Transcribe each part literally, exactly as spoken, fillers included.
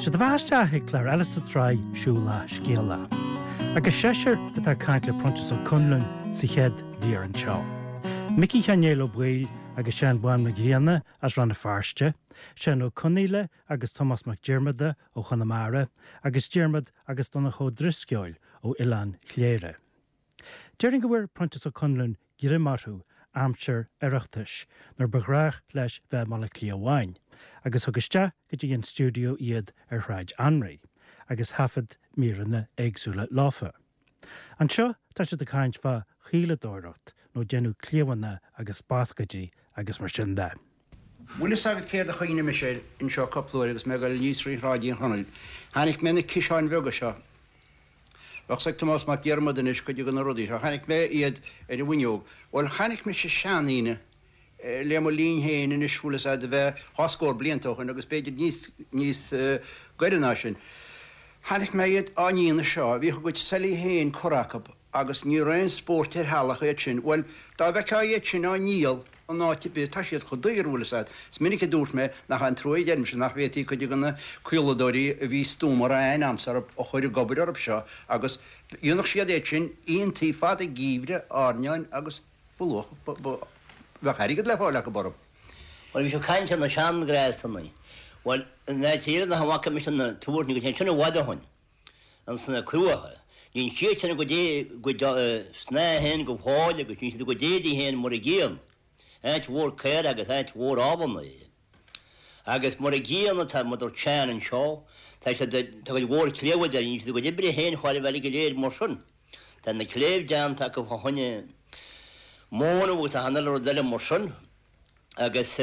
Sé do bheatha isteach ag clár eile sa tsraith Siúlach Scéalach. Agus seisear atá ag caint le Proinsias Ó Conluain sa chéad mhír anseo. Micí Sheáin Néill Ó Baoill agus Seán Bán Mac Grianna as Rann na Feirste, Seán Ó Conaola agus Tomás Mac Diarmada ó Chonamara, agus Diarmaid agus Donncha Ó Drisceoil ó Oileán Chléire. Déarfainn go bhfuair Proinsias Ó Conluain greim orthu aimsir Oireachtais nuair ba ghnách leis bheith i mBaile Átha Cliath amháin, agus thug isteach go dtí an stiúideo iad ar Shráid Anraí, agus thaifead míreanna éagsúla leofa. Anseo tá siad ag caint fá chaoladóireacht nó déanamh cliabhánna agus bascaidí agus mar sin de. Bhfuil fhios agat céard a chuimhnigh mise air anseo cúpla uair agus mé ag dul aníos trí Shráid Uí Chonaill. Chonaic mé na ciseáin bheaga seo. Bheadh 's ag Tomás Mac Diarmada anois cuid de na rudaí seo. Chonaic mé iad ar an bhfuinneog. Bhuel, chonaic mise seandaoine le mo linn féin anois, bhfuil fhios a'd, a bheith dhá scór blianta ó shin agus b'fhéidir níos, níos gaire ná sin. Chonaic mé iad á ndéanamh seo. Bhíodh a gcuid seilí féin curtha acu agus ní raibh aon spórt ar theallach iad sin. Bhuel, dá bhfeicfeá iad sin á ndíol in áit ar bith, tá siad chomh daor, bhfuil fhios a'd. Is minic a dúirt mé nach é an trua a deirimse nach bhféadfaí cuid de na caoladóirí a bhí stuama a raibh aithne a'msa orthu a chur ag obair orthu seo agus dhéanfadh siad iad sin iontaí fada geimhridh, airneáin agus ba luach, ba, ba, bheadh airgead le fáil acu orthu. Bhuel, bhí sibh ag caint ar na seanghléasanna. Bhuel, in áit Éireann nach bhfaca mise na tabhairne go dtí sin i bhfad ó shin, ins na cruacha. Dhein siad sin a gcuid é, gcuid snáithe féin go fóill agus dhein siad a gcuid éadaí féin mar a gcéanna. Áit mhór caora agus áit mhór ábhanna é. Agus mar a gcéanna tá, mar dúirt Seán anseo, tá siad, tá cuid mhór cléibh idir, dhein siad a gcuid oibre féin chóir a bheith go léir mar sin. Tá na cléibh déanta acu fá choinne móna agus achan uile rud eile mar sin. Agus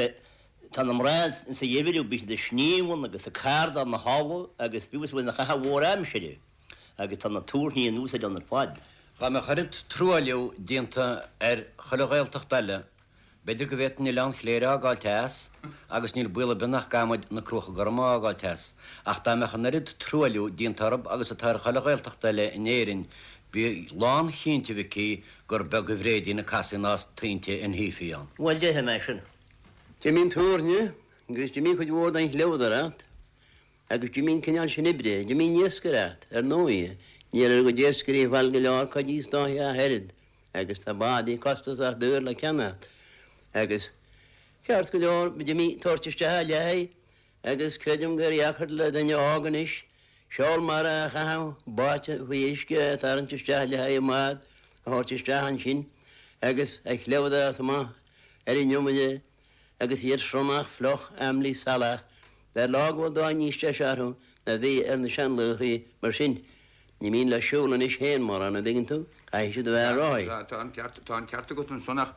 tá na mná sa gheimhreadh, bíonn siad ag sníomhann agus ag cardáil na halba agus fiú is bhfuil na caitheamh mhór aimsire agus tá na tabhairní in úsáid ann ar fad. Dá mbeadh oiread truailliú déanta ar chuile Ghaeltacht eile, b'fhéidir go bhféadfainn Oileán Chléire a fhágáilt as, agus níl baol ar bith nach gcaithfidh muid na Cruacha Gorma a fhágáilt as, ach dá mbeadh an oiread truailliú déanta orthu agus atá ar chuile Ghaeltacht eile in Éirinn, bí lánchinnte, a Mhicí, gur beag a Bhréidín a casfaí ná tointe an shuífí ann. Bhuel, déarfaidh mé sin. D'imigh an tabhairne agus d'imigh cuid mhór den chleabhadóireacht agus d'imigh an cineál sin oibre, d'imigh an iascaireacht, ar ndóigh. Níl ar a gcuid iascairí fáil go leor coidí istoíche ach oiread agus tá bádaí costasach daor le ceannacht. Agus ceart go leor, d'imigh tabhairt isteach a leithéid agus creidim gur dheacair le duine óg anois seol mara a chaitheamh báite faoi uisce a tharraingt isteach le haghaidh i mbád a thabhairt isteach ansin agus a chleabhadóireacht amach ar an iomaire agus iad sionnach fliuch aimlí salach. B'fhearr leo go bhfuil dóigh níos deise orthu ná bhí ar na seanlaochraí mar sin. Ní mian leo siúl anois féin mórán, an dtuigeann tú, caithfidh siad a bheith ar rothaí. Tá an ceart, tá an ceart agat ansan ach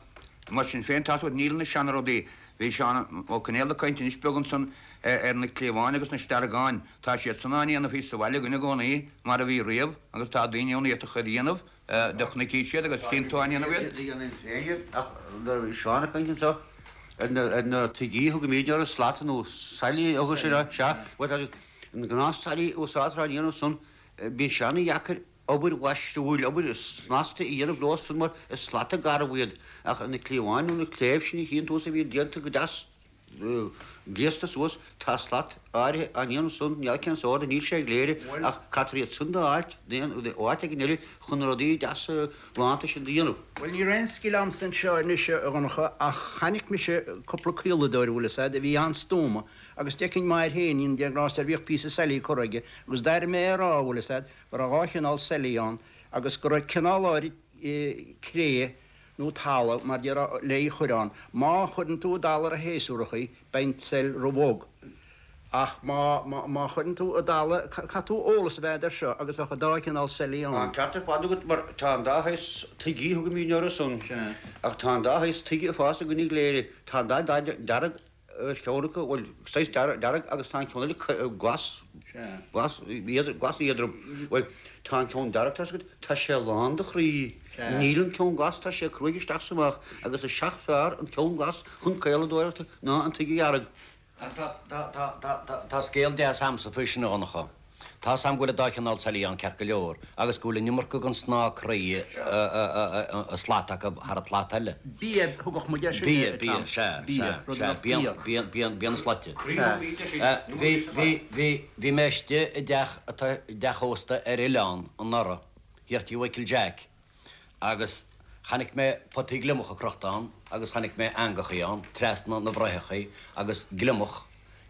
mar sin féin tá's agat níl na seanrudaí, bhí Seán Ó Conaola ag caint anois beag ansan ar na cliabháin agus na steargáin, tá siad san á ndéanamh thíos sa bhaile againn i gcónaí mar a bhí riamh agus tá daoine ann a fhéadfadh iad a dhéanamh. Do chonaic siad agus cén t-á ndéanamh iad? Dhéanfainn féin iad ach nuair a bhí Seán ag caint anseo ar na ar na tuigí a thugaimid orthu, slata nó sailí a thugadh siad orthu, sea, bhuel tá an gnáth sailí a úsáidtear á ndéanamh san, bíonn sé ana-dheacair obair mhaisiúil, obair snasta a dhéanamh leo san mar is slata garbh iad ach na cliabháin nó na cléibh sin a chíonn tusa a bhíonn déanta go deas gléasta suas, tá slat áirithe á ndéanamh san, níl cén sórt, níl sé i gCléire ach caithfear iad san d'fháilt ó áit éigin eile chun na rudaí deasa galánta sin do dhéanamh. Bhuel, ní raibh aon scil a'msa anseo anois, a Dhonncha, ach chonaic mise cúpla caoladóir, bhfuil fhios a'd, a bhí an-stuama agus d'fheicinn m'athair féin, Dia grásta air, bhíodh píosa seilí curtha aige agus d'airigh mé é a rá, bhfuil fhios a'd, go raibh dhá chineál seilí ann agus go raibh cineál áirid cré nó talamh, mar déarfá, le í chur ann. Má chuireann tú i dtalamh shéasúrach í, beidh an tsail ro-bhog. Ach má, má, má chuireann tú i dtalamh, caithfidh tú eolas a bheith agat air seo agus bheadh an dá chineál seilí Tá ann. an ceart ar fad agat mar tá an dá shaghas tuigí a thugaimid orthu san. Ach tá an dá shaghas tuige ag fás againn i gCléire. Tá an dath dearg ar cheann acu, bhuel, saghas dearg agus tá an ceann eile glas, glas, glas éadrom. Bhuel, tá an ceann dearg, tá's agat, tá sé lán de chroí. Níl an ceann glas, tá sé cruaidh isteach 's amach agus is seacht fearr an ceann glas chun caoladóireachta ná an tuige dhearg. Tá scéal deas a'msa faoi sin a Dhonncha. Tá sam go bhfuil dá chineál sailí ann ceart go leor, agus go bhfuil an iomarca den snáth croí a slat acu thar an tslat eile. Bia thugadh muid air sin. Bia, bia, sea, sea, sea, bia, bia, bia, bia na slaite. Bhí, bhí, bhí, bhí mé istigh i dteach atá, i dteach ósta ar oileán anuraidh, thiar tí Mhichael Jack, agus chonaic mé potaí gliomacha crochta ann agus chonaic mé eangachaí ann, trasna na bhfraochachaí agus gliomach,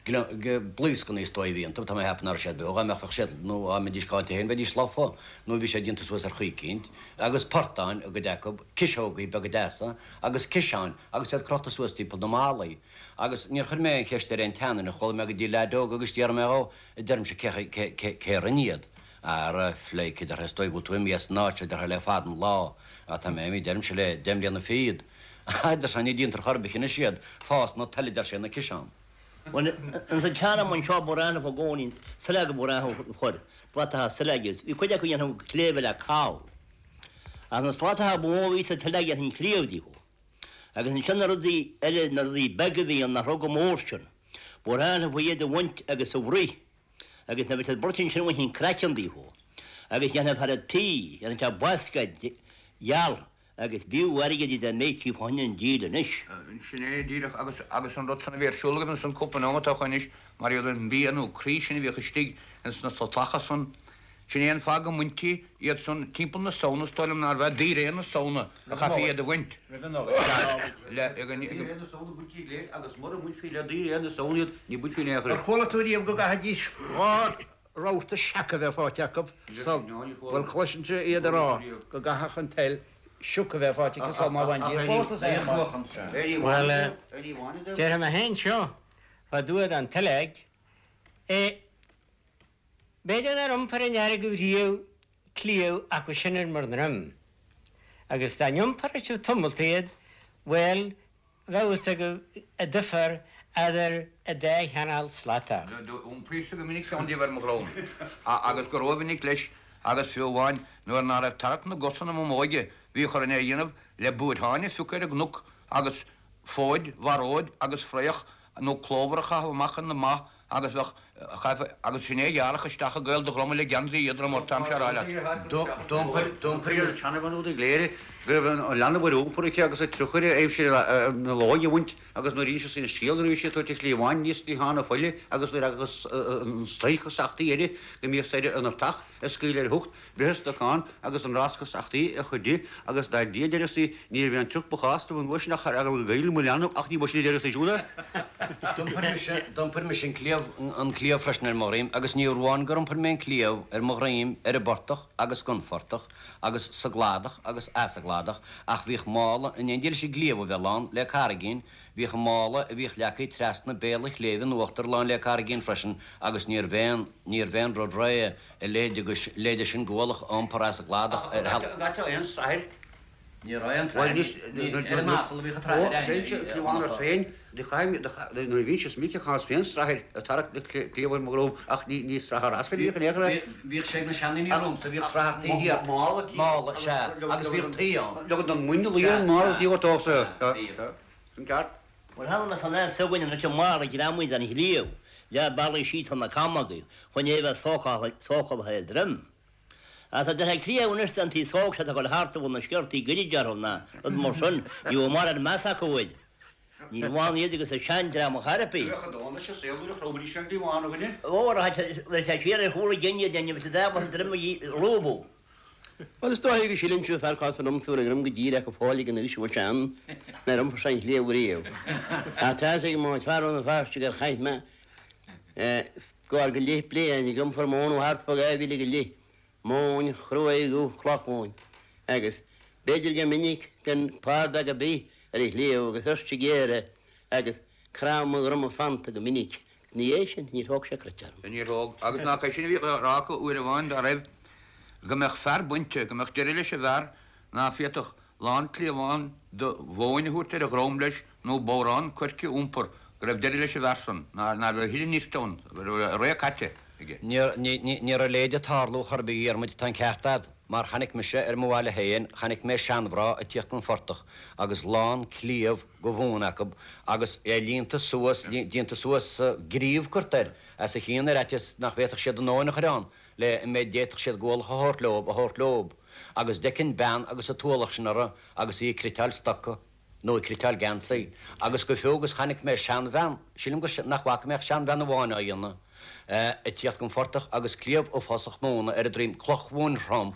blaoscanna is dóigh a bhí iontu, tá mé a cheapadh nach raibh siad beo, dá mbeadh bheadh siad, nó dá mbeidís caillte féin bheidís lofa, nó bhí siad déanta suas ar chaoi eicínt, agus portáin i gcuid acu, ciseogaí beaga deasa, agus ciseáin, agus iad crochta suas timpeall na mballaí. Agus níor chuir mé aon cheist ar aon tseanduine, chuala mé go dtí leaid óg agus d'iarr mé dhó, a deirimse, cé, cé, cé, cé a rinne iad? Ara, phleidhce, a deir sé, is dóigh go bhfuil tú imithe as an áit seo, a deir sé, le fada an lá. Á, tá mé imithe, deirimse, le deich mbliana fichead. A deir sé, ní déantar chor ar bith anois iad, fásann an toil, a deir sé, na ciseáin. Bhuel, ins an tsean-am anseo ba ghnách i gcónaí sileog ba ghnách a chur, slatacha sileoige. Bhí cuid acu a dhéanfadh cléibhe le cal. Ach na slatacha ba mhó a bhí sa tsileog dhéanfainn cliabh díobh. Agus ansin na rudaí eile, na rudaí beaga a bhí ann nach raibh chomh mór sin, ba ghnách leofa iad a bhaint agus a bhruith. Agus nuair a bhí siad bruite ansin bhainfinn craiceann díobh. Agus dhéanfadh fear an tí, dhéanfadh sé bascaed gheal agus b'fhiú airgead í dá mbeadh sí fá choinne an díol anois. Sin é díreach agus agus an rud san a bhí ar siúl agaibh ansan cúpla nóimeat ó shoin anois mar iad an bia nó croí sin a bhíodh istigh ins na slatacha san. Sin é an fáth go mbaintí iad san timpeall na Samhna is dóigh liom nárbh ea daoiréan na Samhna a chaithfí iad a bhaint. Roimh an Nollaig. Le Daoiréan na Samhna baintí le agus mura mbainfí le daoiréan na Samhna iad ní bainfí in aon chor Ar chuala tú riamh go gcaithfidís dhá rabhta seaca a bheith faighte acu sul bhuel chloisinnse iad ag rá go gcaithfeadh an toil sioc a bheith faighte aici sul má bhain di a chóta sa Bhuel, déarfaidh mé féin seo, fá dtaobh den tsileog, b'fhéidir nár iompair an fhear agaibh riamh cliabh acu sin ar bhur ndroim. Agus dá n-iompair sibh tamalt iad, bhuel, bheadh fhios agaibh an difear eadar an dá chineál slatach. D'iompraíos-sa go minic ceann díobh ar mo dhrom, agus go rómhinic leis, agus fiú amháin nuair ná raibh tarrac na gcos ionam i m'óige, bhíodh orainn é a dhéanamh le buairtheáin a phiocadh ar an gcnoc agus fóid, bharóid agus fraoch nó clóbhar a chaitheamh amach ar na ba agus bheadh, chaithfeá, agus sin é a ghearrfadh isteach i gcaol do dhroma le geansaí éadrom ort, táimse á rá leat. D'iompair an tseanbhean úd i gCléire go raibh an leanbh ar iompar aici agus a trucail aimsir na láí a bhaint agus nuair a d'inis sí an scéal nuair a bhí sí ag tabhairt an chliabháin aníos cliathán na faille agus nuair agus an stríoc sachtaí uirthi go mbíodh sé ar an artach a scaoileadh ar a hocht breith an stocáin agus an rosca sachtaí a chur di agus dar Dia a deireadh sí ní raibh aon triuch ba chás dom an uair sin ach ar eagla go gcaillfinn mo leanbh ach ní ba sin a deireadh sí siúd é. D'iompair mise, d'iompair mise an cliabh, an cliabh freisin ar mo dhroim agus ní amháin gur iompair mé an cliabh ar mo dhroim ar an bportach agus gan phortach agus sa gcladach agus as an gcladach ach bhíodh mála in éindí leis an gcliabh a bheith lán le carraigín Bhíodh an mála a bhíodh leagtha trasna béal an chléibh in uachtar lán le carraigín freisin agus níorbh aon, níorbh aon rud réidh a leithéide sin de ualach a iompar as an gcladach ar Ach an gcaiteá aon srathair? Ní raibh aon Bhuel tsrathair, anois, ní, ar an asal a bhíodh an tsrathair ó, deirimse a cliabhán ort Dhonncha. féin, do chaith, do chaith, nuair a bhínnse is Micí chaitheas féin srathair ag tarrac na cliabh ar mo dhrom ach ní, ní srathair asail a bhíodh in aon chor air. Bhíodh sé ag na seandaoine romhamsa, bhíodh srathair taobh thiar, Mála, mála, sea, agus bhíodh tuí ann. Leoga don muin a luí ar an mála agus ní bhfuair tú sa, Bhíodh. Sin ceart. Bhuel, cheana mé san áit s'againne anois an mála greamaithe den chliabh, leath bealaigh síos tá na camógaí chun é a bheith sócáilte ar droim. Ach tá deartha cliabh anois den taobh sóg seo atá ag dul thart a bhfuil na sciortaí goirid orthu ná rud mar sin, ní bhfuil mórán meas acu air. Ní bhain iad agus an seandream a char ar bith. Bheadh a dóthain leis an saol nuair a chromaidís fén gcliabhán, a dhuine. Ó, tá siar ar chúl a gcinn iad, ní bheadh siad ábalta droim a lúbadh. Bhuel, is dóigh go síleann sibh fear cás an iomsúr a dhroim go díreach go fóill ag an aois a bhfuil sé ann, nár iompair sé an chliabh riamh. Ach tá fhios ag mo fear ó na Feirste gur chaith mé scór go leith bliain ag iompar móna thart fá dhá mhíle go leith, móin chruaidh nó clochmhóin, agus b'fhéidir gur minic gan pardóg ar bith ar an chliabh agus tuirse géar agus crann mo dhroma fanta go minic. Ina dhiaidh sin, níor thóg sé cruit orm. Níor thóg. Agus nach é sin a bhíodh á rá acu uair amháin dá raibh, go mbeadh fear bainte, go mbeadh deireadh leis an bhfear ná féadfadh lán cliabhán de mhóin a thabhairt ar a dhrom leis nó bodhrán coirce a iompar, go raibh deireadh leis an bhfear san, ná raibh a thuilleadh nirt ann, go raibh a ré caite aige. Ní raibh a leithéid ag tarlú chor ar bith, a Dhiarmuid, tá an ceart a'd. Mar chonaic mise ar mo bhaile féin, chonaic mé seanmhná ag tíocht gon phortach agus lán cliabh go mhóin acu agus é líonta suas, déanta suas, gríobh curtha air as a chionn ar fhaitíos nach bhféadfadh siad an mhóin a chur ann le an méid d'fhéadfadh siad go ualach a thabhairt leo, a thabhairt leo. Agus d'fheicfinn bean agus an t-ualach sin uirthi agus í ag criotáil stoca. nó ag criotáil geansaí, agus go fiú agus chonaic mé seanbhean, sílim gur, nach bhfaca mé ach seanbhean amháin á dhéanamh, ag tíocht gon phortach agus cliabh uafásach móna ar a droim, cloch mhóin throm,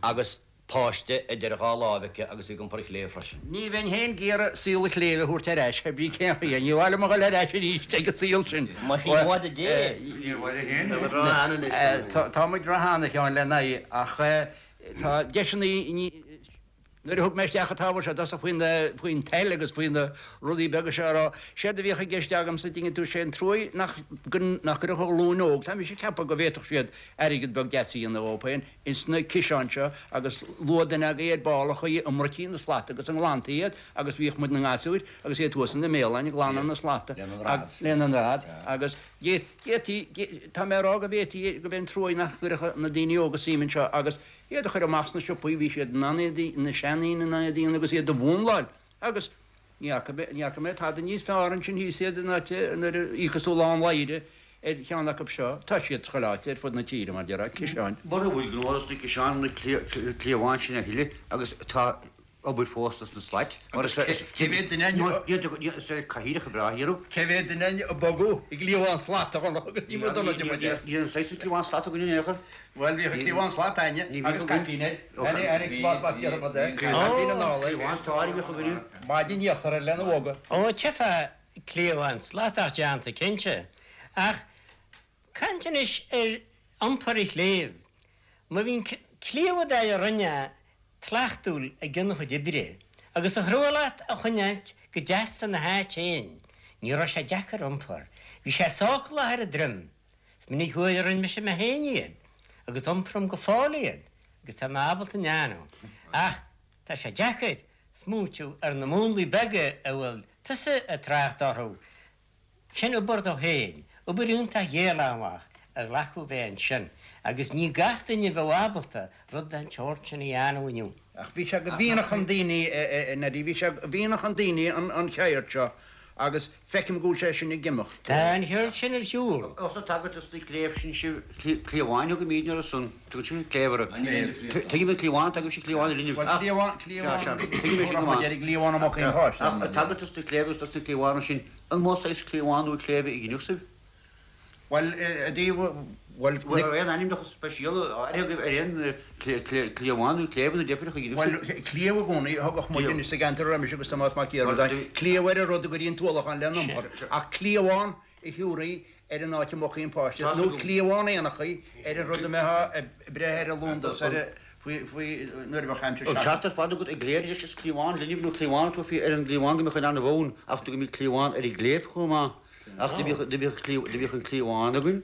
agus páiste idir dhá láimh aici agus í ag iompar an chléibh freisin. Ní bheinn féin ag iarraidh saol an chléibh a thabhairt ar ais, thé brí cén chaoi, ní mhaith liom a dhul ar ais arís ag an saol sin. Más í i bhfad a dé. Tá muid róshean, a Sheáin, lena aghaidh, ach tá deiseanna, Nuair a thug mé isteach an t-ábhar seo i dtosach faoin faoin toil agus faoi na rudaí beaga seo a rá, séard a bhíodh i gceist agamsa, dtuigeann tú, sé an truaigh nach nach gcuirfeadh an ghlúin óg, tá mise ag ceapadh go bhféadfadh siad airgead beag deas a dhéanamh dhóibh féin ins na ciseáin seo agus luadh duine agaibh ar ball an chaoi a mbruití na slata agus a nglantaí iad agus bhíodh muid 'na ngasúir agus iad thuas ina mbéaláin ag glanadh na slata lena ndread agus d'fhéadfaí, tá mé a rá go bhféadfaí, go b'é an truaigh nach gcuirfeadh na daoine óga suim anseo agus. Iad a chur amach sna siopaí, bhí siad in ann iad, na seandaoine in ann iad a dhéanamh agus iad a mhúnláil agus ní fhaca mé, ní fhaca mé tada níos fearr ansin thíos iad in áit nuair a íocfas tú lán laidhre ar cheann acu seo, tá siad chuile áit ar fud na tíre mar déarfá, ciseáin. Mura bhfuil gnó dos na ciseáin, na cliabháin sin a thuilleadh agus tá obair fós dos na slait. Mar is Cé mhéad duine is cathaoireacha breátha iarradh. Cé mhéad duine a bogadh i gcliabhán slat a Dhonncha agus ní mór dona de muid é. Ní an saghas cliabhán slat againn in aon chor. Bhuel bhíodh an cliabhán slat againne agus caipín air. Mar déarfá é. Caipín anall air. Cliabhán slat a bhíodh againne. Maide an íochtar air lena bhogadh. Ó tchífeá cliabhán slatach déanta cinnte. Ach caint anois ar iompar an chléibh. Má bhí an cliabh a rinne Tlachtúil i gcionn a chuid oibre, agus a chrua leat a choinneáilt go deas ina háit féin, ní raibh sé deacair iompar. Bhí sé sócalach ar an droim. Is minic uair a rinne mise mé féin iad, agus iompraim go fóill iad, agus tá mé ábalta a ndéanamh. Ach tá sé deacair smaoitiú ar na múnlaí beaga a bhfuil tusa ag trácht orthu. Sin obair dó féin, obair iontach ghéarleanúnach a ghlacadh bheith ansin, agus ní gach duine a bheadh ábalta rud den tsórt sin a dhéanamh inniu. Ach bhí sé go mianach i ndaoine, a Neidí, bhí sé go mianach i ndaoine an cheird seo agus feicim go bhfuil sé sin ag imeacht. Tá an cheird sin ar shiúl. Ós ag tagairt dos na cléibh sin sibh, cliabháin a thugaimídne orthu san, tugann sibh cléibh orthu. Tuigim an cliabhán, tugaimse cliabhán ar inniu. Bhuel, cliabhán, cliabhán, tuigim é sin go maith. Cliabhán amach aon pháiste. Ach ag tagairt dos na cléibh agus dos na cliabháin sin, An mó saghas cliabhán nó cléibhe a ghinfeadh sibh? Bhuel, i dtaobh, bhuel, Bhuel, ar aon ainmneacha speisialta áirithe agaibh ar aon cliabhán nó cléibhe nó deifreach a ghinfeadh Bhuel, sibh? cliabh i gcónaí a thugadh muid sa gceantar a raibh mise agus Tomás Mac Diarmada, cliabh ar an rud a gcuirí an t-ualach ann lena iompar, ach cliabhán a thiúrfaí ar an áit a mbogfaí an páiste, nó cliabhán éanachaí ar an rud a mbeifeá ag breith ar an lúndas ar a. faoi, faoi, nuair a bheadh aimsir An ceart ar fad agat i gcléir leis is cliabhán linbh nó cliabhán a tabharfaí ar an gcliabhán go mbeadh in ann a bhonn ach tugaimid cliabhán ar an gcléibh chomh maith ach do bhíodh, do bhíodh, do bhíodh an cliabhán againn.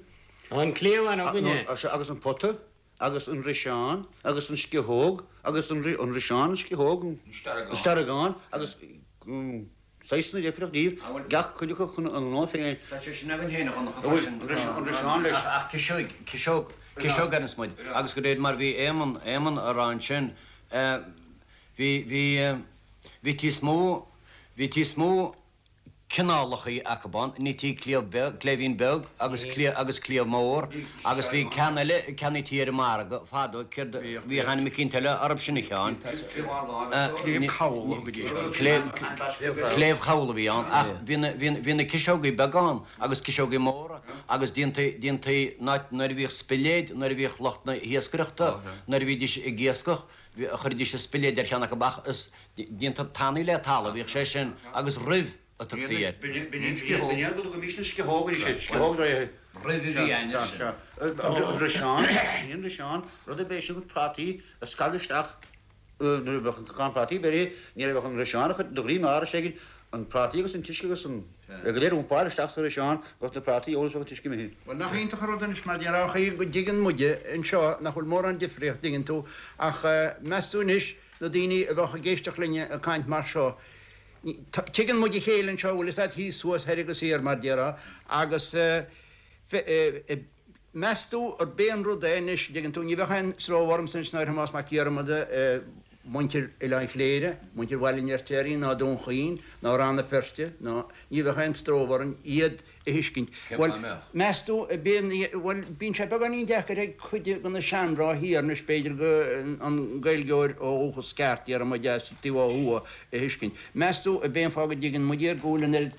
An cliabhán againne. Agus an pota agus an riseán agus an sciathóg agus an, an riseán, an sciathóg, an steargán agus. Saghsanna deifreach díobh, gach cuid acu chun a ngnó féin. Tá sé sin againn féin a Dhonncha freisin. An riseán leis. Ach ciseog, ciseog, ciseog a deireanns muid. Agus de réir mar bhí Éamonn, Éamonn a rá ansin, bhí, bhí, bhí níos mó, bhí níos mó cineálachaí acu ann, nítí cliabh beag, cléibhín beag agus cliabh, agus cliabh mór agus bhí ceann eile, ceannaítí ar an margadh fadó, céard a, bhí ainm eicínt eile orthu sin a Sheáin. Cléibh chabhail a bhí ann ach bhí na, bhí, bhí na ciseogaí beaga ann agus ciseogaí móra agus déantaí, déantaí nuair a bhíodh spiléid, nuair a bhíodh lucht na hiascaireachta, nuair a bhídís ag iascach, chuiridís an spiléid ar cheann acu ach is déanta tanaí le talamh a bhíodh sé sin agus ruibh a tugtaí air. B'in é go dtugaimís an sciathóg arís air, sciathóg draighe. Ruibh a bhí ann leis. An riseán, sin an riseán, rud ar bith sin prátaí a scagadh isteach nuair a bheadh an crann prátaí beirithe, ní raibh ach an riseán a chur de dhroim árais éigin, an prátaí agus an t-uisce agus an go léir a iompáil isteach sa riseán, bheadh na prátaí ann is bheadh an t-uisce imithe. Bhuel, nach iontach an rud anois mar déarfá an chaoi go dtuigeann muide anseo nach bhfuil mórán difríocht, dtuigeann tú, ach meas tú anois na daoine a bheadh ag éisteacht linne ag caint mar seo, tuigeann muid a chéile anseo, bhfuil fhios a'd, thíos, thuas, thoir agus thiar mar déarfá, agus Meas tú arb é an rud é anois, dtuigeann tú, ní bheadh aon stró ormsa anois ná ar Thomás Mac Diarmada, muintir Oileán Chléire, muintir Bhaile an Fheirtéaraigh ná Dún Chaoin ná Rann na Feirste ná, ní bheadh aon stró orainn iad a thuiscint. Cén Bhuel, fáth a mbeadh? meas tú, bíonn, bhuel, bíonn sé beagáinín deacair ag cuid de na seanmhná thiar anois, b'fhéidir, go, an Gaeilgeoir ó dhúchas ceart, déarfaidh muid, as taobh ó thuaidh a thuiscint. Meas tú, ab é an fáth go dtuigeann muid iad, go bhfuil an oiread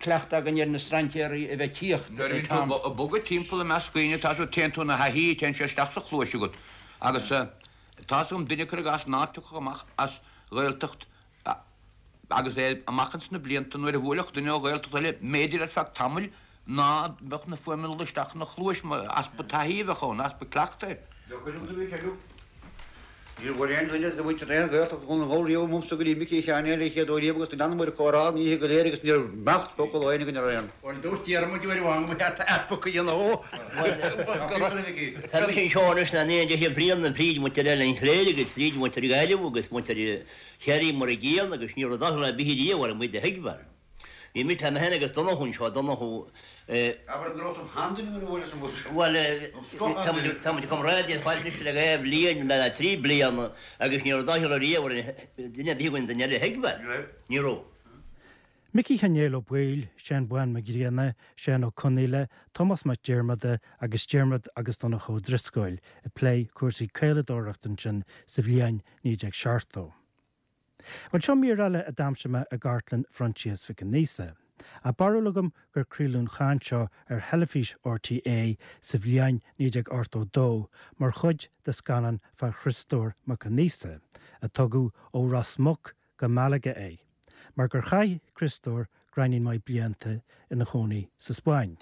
cleachtadh againn ar na strainséaraí a bheith ag tíocht Nuair a bhíonn tú ag bogadh timpeall i measc daoine, tá tú, téann tú ina thaithí, téann sé isteach sa chluais agat. Agus tá's agam duine, cuir i gcás, ná tiocfadh amach as Ghaeltacht agus é amach ins na blianta, nuair a bhuailfeadh duine ó Ghaeltacht eile, mb'fhéidir ar feadh tamaill ná beadh na fuaimeanna ag dul isteach ina chluais, easpa taithí a bheadh ann, easpa cleachtaidh. Níor bhuail aon duine de mhuintir aon Ghaeltacht Dhún na nGall riamh uaimse go dtí Micí Sheáin Éil an chéad uair riamh agus do leanamair ag comhrá an oíche go léir agus níor mbeadh focal ó éinne againn ar aon. Bhuel, dúirt Diarmuid uair amháin go mba cheart earpach a dhéanamh dhó. Tá mise anseo anois in éindí le Brian na fríd muintir Oileán Chléire agus fríd muintir Ghaillimh agus muintir Chiarraí mar a gcéanna agus ní raibh doicheall ar bith riamh orm iad a thuigbheáil. Bhí mise, tá mé féin agus Donnchadh anseo, Donnchadh, Abair go raibh san sheanduine nuair a bhuaileas an bus. Bhuel, tá muid comrádaí ar fad anois le dhá bhliain, le trí bliana agus ní raibh doicheall ariamh ar duine ar bith againn duine eile a thuigbheáil. Ní raibh. Micí Sheáin Éil Ó Baoill, Seán Bán Mac Grianna, Seán Ó Conaola, Tomás Mac Diarmada agus Diarmuid agus Donncha Ó Drisceoil ag plé cúrsaí caoladóireachta ansin sa bhliain naoi déag seachtó. Bhuel, seo mír eile a d'aimsigh mé i gcartlann Phroinsias Mhic an Íosa. Tá barúil agam gur craoladh an chaint seo ar theilifís RTÉ sa bhliain naoi déag ochtó dó mar chuid de scannán fá Chriostóir Mac Aonghusa, a tugadh ó Ros Muc go Malaga é, mar gur chaith Criostóir gráinnín maith blianta ina chónaí sa Spáinn.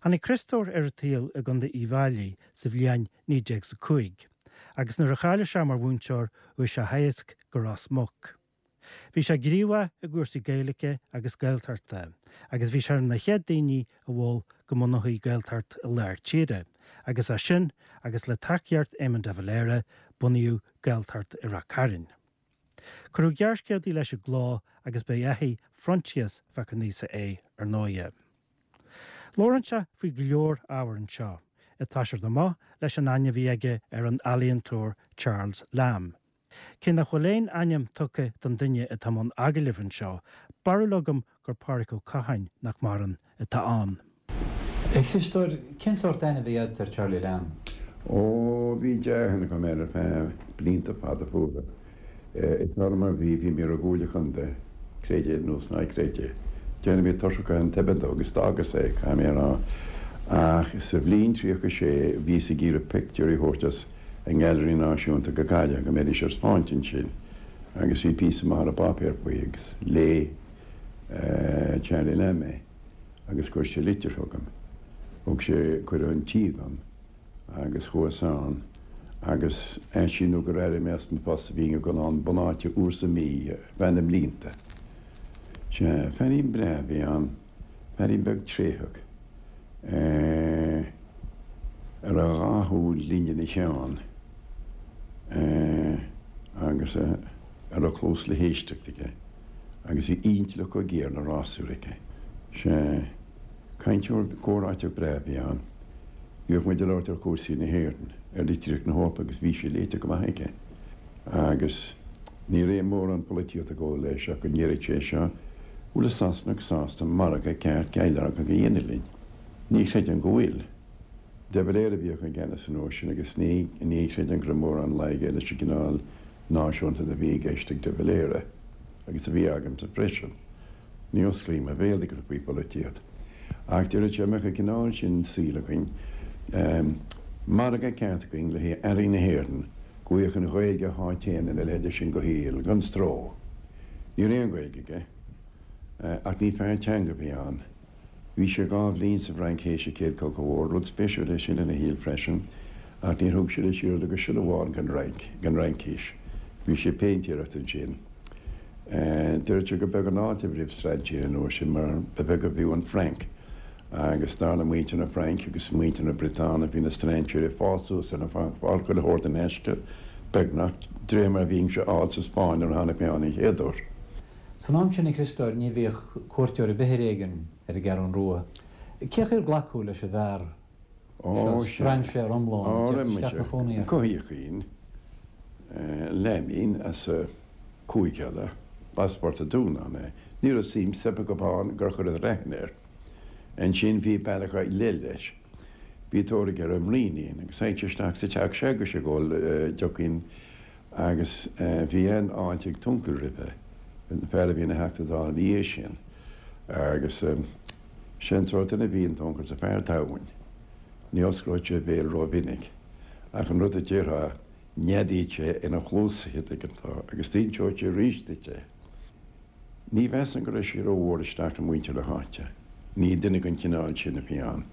Tháinig Criostóir ar an tsaol i gContae Uíbh Fhailí sa bhliain naoi déag is a cúig, agus nuair a cháiligh sé mar mhúinteoir chuaigh sé a theagasc go Ros Muc. Bhí sé gníomhach i gcúrsaí Gaeilge agus Gaeltachta, agus bhí sé ar na chéad daoine a mhol go mbunófaí Gaeltacht i lár tíre, agus as sin, agus le tacaíocht Éamon de Valera, bunaíodh Gaeltacht i Ráth Cairn. Cuireadh gearrscéaltaí leis i gcló agus ba é athair Phroinsias Mhac Aonghusa é, ar ndóighe. Labhrann sé faoi go leor ábhar anseo, ag toiseacht amach leis an aithne a bhí aige ar an ealaíontóir Charles Lamb. Cé nach bhfuil aon ainm tugtha don duine atá i mbun agallaimh anseo, barúil agam gur Pádraig Ó Catháin, nach maireann, atá ann. A Chriostóir, cén sórt aithne a bhí agat ar Charlie Lamb? Ó, bhí dea-aithne agam air ar feadh blianta fada fuara. Is mar a bhí, bhí mé ar an gComhairle Chontae, creid é nó ná creid é. Déarfainn bhí tuirseach den toibeann dó agus d'fhágas é, caithfidh mé a rá. Ach sa bhliain tríocha sé bhíos ag iarraidh pictiúirí a thabhairt as an nGailearaí Náisiúnta go Gaillimh go mbeidís ar spáint ansin agus bhí píosa maith ar an bpáipéar faoi agus léigh Charlie Lamb é agus chuir sé litir chugam. Thug sé cuireadh chun tí dom agus chuas ann agus ansin nó gur éirigh mé as mo phost bhínn ag dul ann bunáite uair sa mhí ar feadh na mblianta. Sea, feairín breá a bhí ann, feairín beag tréitheach, a raibh dhá shúil ghlinn ina cheann agus a raibh cluas le héisteacht aige agus bhí intleacht chomh géar le rásúr aige. Sea, cainteoir comhráiteach breá a bhí ann. Bhíodh muid ag labhairt ar chúrsaí na hÉireann, ar litríocht na hEorpa agus bhí sé léite go maith aige. Agus ní raibh mórán polaitíochta ag gabháil leis ach go ndéarfadh sé seo, bhfuil an Sasanach sásta margadh ceart geilleagrach a dhéanamh linn? Ní chreidim go bhfuil. De Valera a bhíodh i gceannas an uair sin agus ní ní chreidim go raibh mórán laige leis an gcineál náisiúnta a bhí i gceist ag de Valera agus a bhí agamsa freisin. Ní osclaím mo bhéal ag faoi pholaitíocht. Ach deireadh sé mbeadh an cineál sin saoil againn, margadh ceart againn le haghaidh earraí na hÉireann, go bhfaigheadh an Ghaeilge a háit féin ina leithéide sin de shaol, gan stró. Ní raibh aon Ghaeilge aige, ach ní fear teanga a bhí ann. Bhí sé dhá bhliain sa bhFrainc théis an Chéad Chogadh Mhór, rud spéisiúil é sin ina shaol freisin, ach níor thug sé leis oiread agus siolla amháin den Fhrainc, den Fhraincis. Bhí sé ag péintéireacht ansin. Deireadh sé gur beag an fháilte roimh strainséirí an uair sin mar ba bheag ab fhiú an Frainc agus dar le muintir na Fraince agus muintir na Briotáine bhí na strainséirí ag fás suas ar na Francaigh ag fáil chuile shórt in aisce, beagnach, de réir mar a bhínnse á fháil sa Spáinn nuair a tháinig mé ann an chéad uair. San am sin, a Chriostóir, ní bhíodh cuairteoir ar bith ar éigean ar an gCeathrú Rua. Cén chaoi ar glacadh leis an bhfear Ó, Strainséir iomlán, ag teacht isteach 'na chónaí air. Cothaíochaín, Leaimín as Cúige Uladh, b'as Port a' Dúnáin é. Ní raibh suim soip acu ann gur chuireadar aithne air. Ansin bhí bealach ar leith leis. Bhí tóir aige ar an mbraoinín agus théadh sé isteach sa teach s'agaibhse ag ól deocín agus bhí an-fháilte ag t'uncail roimhe, an fear a bhí ina Theachta Dála ina dhiaidh sin. Agus sé an sórt duine a bhí in t'uncail sa fear domhain. Ní osclódh sé a bhéal rómhinic ach an rud a déarfá neadaíonn sé ina chluasa an dtuigeann tú agus d'inseodh sé arís duit é. Ní mheasaim go raibh sé rómhór isteach le muintir na háite. Ní duine den chineál sin a bhí ann.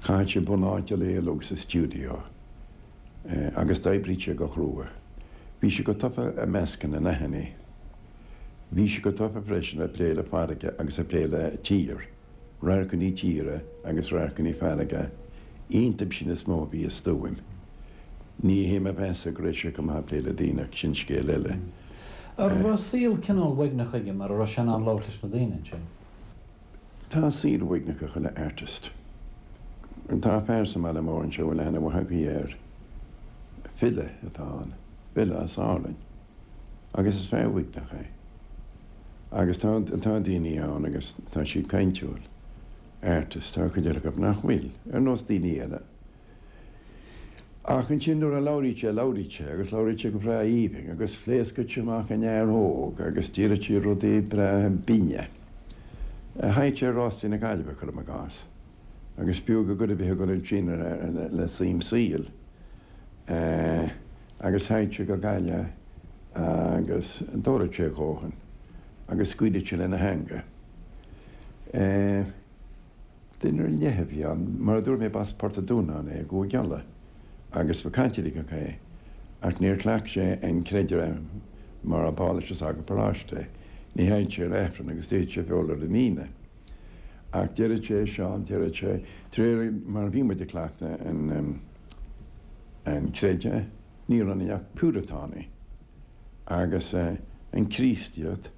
Chaith sé bunáite a éalóg sa stiúideo agus d'oibrigh sé go crua. Bhí sé go tofa i measc na n-aithinní. Bhí sé go tofa freisin ag plé le farraige agus ag plé le tír, radharcanna tíre agus radharcanna farraige, iontu sin is mó a bhí a stuaim. Ní hé mo mheas go raibh sé go maith ag plé le daoine ach sin scéal eile. An raibh saol cineál uaigneach aige mar a raibh sé in ann labhairt leis na daoine ansin? Tá saol uaigneach ag chuile artist. Tá fear sa mbaile mór anseo a bhfuil aithne mhaith agaibh air. File atá ann. File as Árainn. Agus is fear uaigneach é. Agus tá tá daoine ann agus tá siad caintiúil. Artist, tá cuid eile acu nach bhfuil, ar nós daoine eile. Ach ansin nuair a labhraíonn sé, labhraíonn sé, agus labhraíonn sé go breá aoibhinn, agus phléascann sé amach in fhear óg, agus deireann sé rudaí breá binne. Théadh sé ar rástaí na Gaillimhe, cuirim i gcás, agus b'fhiú go gcuid a bheith ag dul ansin le suim saoil. Agus théadh sé go Gaillimh agus d'óladh sé a dhóthain, agus scaoileadh sé lena theanga. Duine ar leith a bhí ann. Mar a dúirt mé, b'as Port a' Dúnáin é i gCúige Uladh agus ba Chaitliceach é, ach níor chleacht sé an creideamh mar a b'áil leis an sagart paróiste. Ní théadh sé ar Aifreann agus d'itheadh sé feoil ar an Aoine. Ach deireadh sé, Seán, deireadh sé, de réir mar a bhí muid ag cleachtadh an an creideamh, ní raibh ionainn ach Piúratánaigh. Agus an Chríostaíocht,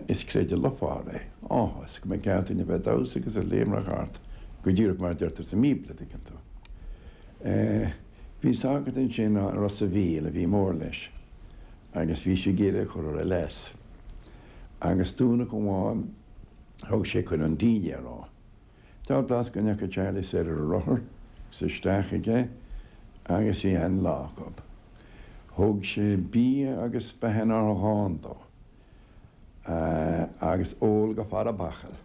Is creideamh lufar é, áthas, go mbeadh ceart duine a bheith ag damhsa agus ag léimreach thart, go díreach mar a deirtear sa mBíobla, an dtuigeann tú. Bhí sagart ansin i Ros a' Mhíl a bhí mór leis agus bhí sé ag iarraidh a chur ar a leas. Agus Domhnach amháin thug sé chun an dínnéir é. Deabhal blas go ndeachaigh Charlie soir ar a rothar agus isteach aige agus bhí an-lá acu. Thug sé bia agus beatha nár dhán dó agus ól go fada bachall.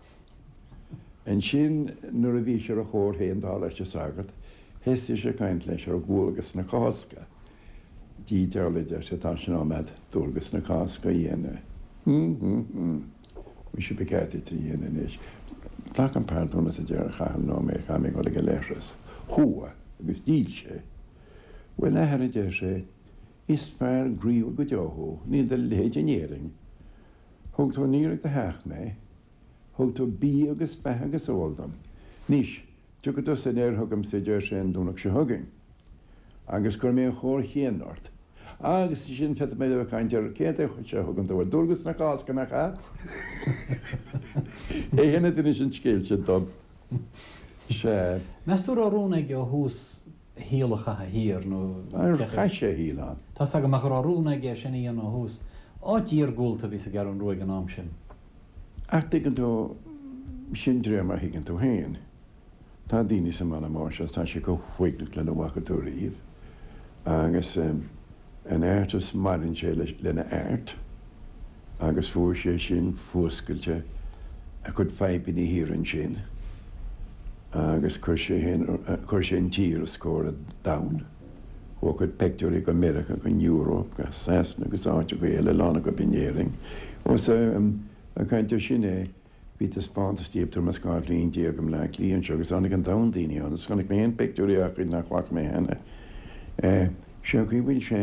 Ansin nuair a bhí sé ar a chóir féin dar leis an sagart, thosaigh sé ag caint leis ar dhualgas na Cásca. Dia deabhal a deir sé, tá sé in am a'd dualgas na Cásca a dhéanamh. Hum hum hum. Muise ba cheart duit a dhéanamh anois. Glac an pardún uait a deir a Chathail nóiméad, caithfidh mé dhul ag an leithreas. Chuaigh agus d'fhill sé. Bhuel, a athair, a deir sé, is fear groíúil go deo thú, níl do leithéid in Éirinn. Thug tú aniar ag do theach mé, thug tú bia agus beatha agus ól dom. Anois, tiocfaidh tusa aniar chugamsa, a deir sé, an Domhnach seo chugainn, agus cuirfidh mé an chóir chéanna ort. Agus ansin féadfaidh mé a bheith ag caint ar céard é seo a thugann tú ar dualgas na Cásca, nach ea? É féin a d'inis an scéal sin dom. Sea. Meas tú raibh rún aige ó thús a shaol a chaitheamh thiar nó Ar chaith sé a shaol ann? Tá's agam ach an raibh rún aige é sin a dhéanamh ó thús. Áit iargúlta a bhí sa gCeathrú Rua ag an am sin. Ach tuigeann tú, sin de réir mar a thuigeann tú féin. Tá daoine sa mbaile mór seo, tá sé chomh huaigneach lena bhfaca tú riamh. Agus an artist maireann sé lena art agus fuair sé sin fuascailte a chuid fadhbanna thiar ansin agus chuir sé féin, chuir sé an tír os comhair an domhain. Chuaigh a chuid peictiúirí go Meiriceá, go Eoraip, go Sasana agus áiteacha eile, a lán acu in Éirinn. Ós ag caint air sin é, bhí taispeántas díobh tuairim is dhá bhliain déag i mBleá Cliath anseo agus tháinig an domhan daoine ann agus chonaic mé féin peictiúirí dá chuid nach bhfaca mé cheana. Sé an chaoi a bhfuil sé,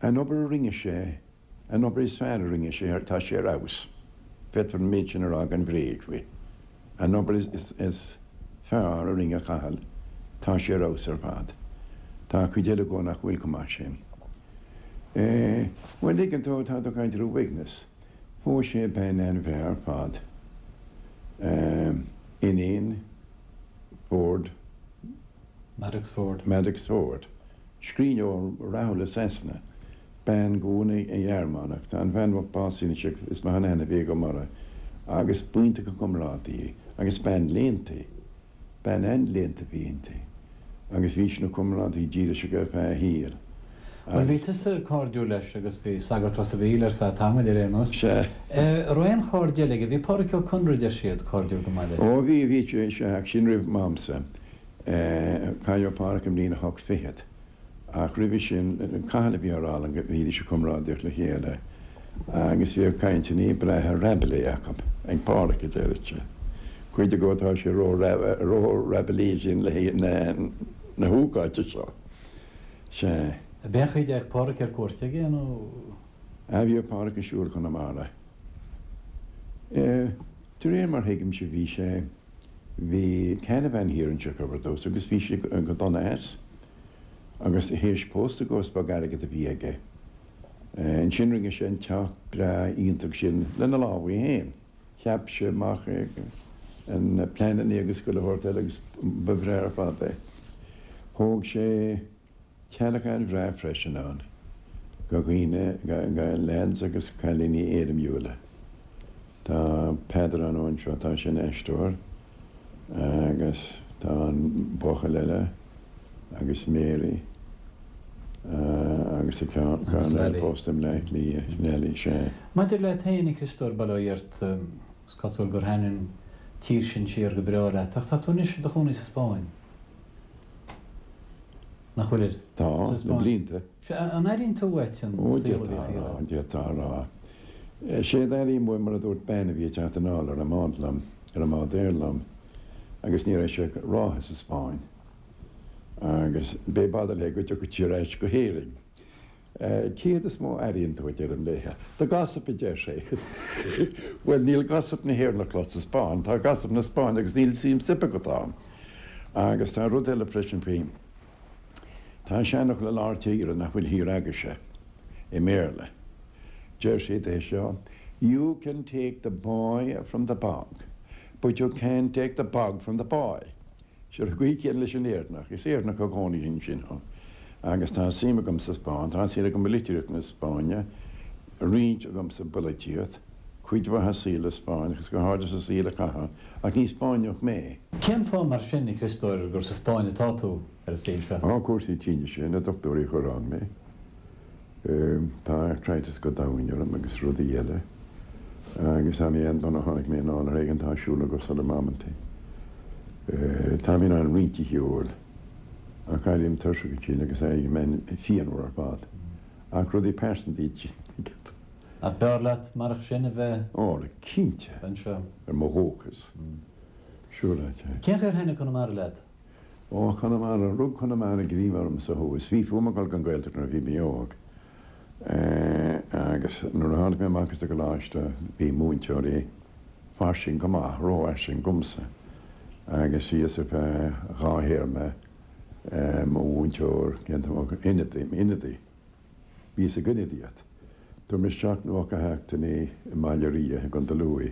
an obair a rinne sé, an obair is fearr a rinne sé, tá sé ar fheabhas. Féadfar an méid sin a rá gan bhréig faoi. An obair is fearr a rinne Cathal, tá sé ar fheabhas ar fad. Tá cuid eile dhó nach bhfuil chomh maith sin. Bhuel, tuigeann tú, tá tú ag caint ar uaigneas. Phós sé bean an-bhreá ar fad. Iníon Ford. Maddox Ford. Maddox Ford. Scríbhneoir rathúil i Sasana. Bean de bhunadh Ghearmánach. Tá an bhean básaithe anois is maith an aithne a bhí agam uirthi. Agus b'iontach an comrádaí í. Agus bean léannta í. Bean an-léannta a bhí inti. Agus bhí sí ina comrádaí dílis aige ar feadh a shaoil. Bhuel bhí tusa cairdiúil leis agus bhí sagart Ros a' Mhíl ar feadh tamaill ar aon nós. Sea. Raibh aon chairde eile aige? Bhí Pádraic Ó Conaire deir siad cairdiúil go maith leis. Ó bhí, bhí sé, sea, ach sin roimh m'amsa. Cailleadh Pádraic i mbliain a hocht fichead. Ach roimhe sin, Cathal a bhí á rá liom go mbídís ag comrádaíocht le chéile agus bhíodh cainteanna breátha Rabelais acu, ag Pádraic a deireadh sé. Cuid acu tá sé ró-Rabelais sin le haghaidh na hócáide seo. Sea. Ab é an chaoi a dtéadh Pádraic ar cuairt aige nó? Ah bhíodh Pádraic ag siúl Chonamara. De réir mar thuigimse bhí sé, bhí caravan thiar anseo acu ar dtús agus bhí sé go dona as. Agus théis pósta dhó is beag airgead a bhí aige. Ansin rinne sé an teach breá iontach sin lena lámha féin. Cheap sé amach na pleananna agus chuile shórt eile agus ba bhreá ar fad é. Thóg sé teallach an-bhreá freisin ann do dhaoine, do leaids agus cailíní éirimiúla. Tá Peadar ann anseo, tá sé ina aisteoir agus tá an buachaill eile agus Mary agus a ceann eile pósta i mBleá Cliath, Nellie, sea. Maidir leat féin, a Chriostóir, bail ó Dhia ort, is cosúil gur thaitin an tír sin siar go breá leat, ach tá tú anois i do chónaí sa Spáinn. Nach bhfuil? Tá, le blianta. Sea, an airíonn tú uait an Ó, saol a d'fhéadfá bhíodh a thiar rá, ann? d'fhéadfá a rá. Sé d'airím uaim, mar a dúirt bean a bhí ag teacht anall ar an mbád liom, ar an mbád aeir liom, agus ní raibh sé ach ráithe sa Spáinn. Agus b'é b'fhada léi go dtiocfadh sí ar ais go hÉirinn. Céard is mó a airíonn tú, a deirim léi. The gossip, a deir sé. Bhuel, níl gossip na hÉireann le clos sa Spáinn, tá gossip na Spáinne agus níl suim soip agat ann. Agus tá rud eile freisin faoi. Tá seanfhocal i lár tíre nach bhfuil thiar agaibhse, i mBéarla. Deir siad é seo, You can take the boy from the bog, but you can't take the bog from the boy. Sé an chaoi chéanna leis an Éireannach. Is Éireannach i gcónaí ansin thú. Agus tá suim agam sa Spáinn, tá suim agam i litríocht na Spáinne, roinnt agam sa bpolaitíocht, cuid mhaith sa saol Spáinneach agus go háirithe sa saol a caitheadh, ach ní Spáinneach mé. Cén fáth mar sin, a Chriostóir, gur sa Spáinn atá tú ar an saol seo? Tá cúrsaí tinnis, na dochtúirí a chuir ann mé. Tá arthritis go domhain orm agus rudaí eile. Agus tá mé an-dona, tháinig mé anall ar éigean, tá siúl go sona amanta. Tá mé in ann roinnt a shiúl, ach éirím tuirseach ansin agus éirím phianmhar ar fad. Ach rudaí pearsanta iad sin. Ach b'fhearr leat marach sin a bheith. Ó, cinnte. Anseo. Ar mo dhóchas. Siúráilte. Cén chaoi ar thaitnigh Conamara leat? Ó, Conamara, rug Conamara greim ormsa thuas. Bhí fúm a dhul don Ghaeltacht nuair a bhí mé óg. Agus nuair a tháinig mé amach as an gcoláiste bhí múinteoirí fairsing go maith, rófhairsing dhomsa. Agus bhíos ar feadh dhá théarma mo mhúinteoir, ionadaí, ionadaí. Bhíos ag ionadaíocht. Dúirt mé seacht nócha a sheacht i mBaile Ria i gContae Lú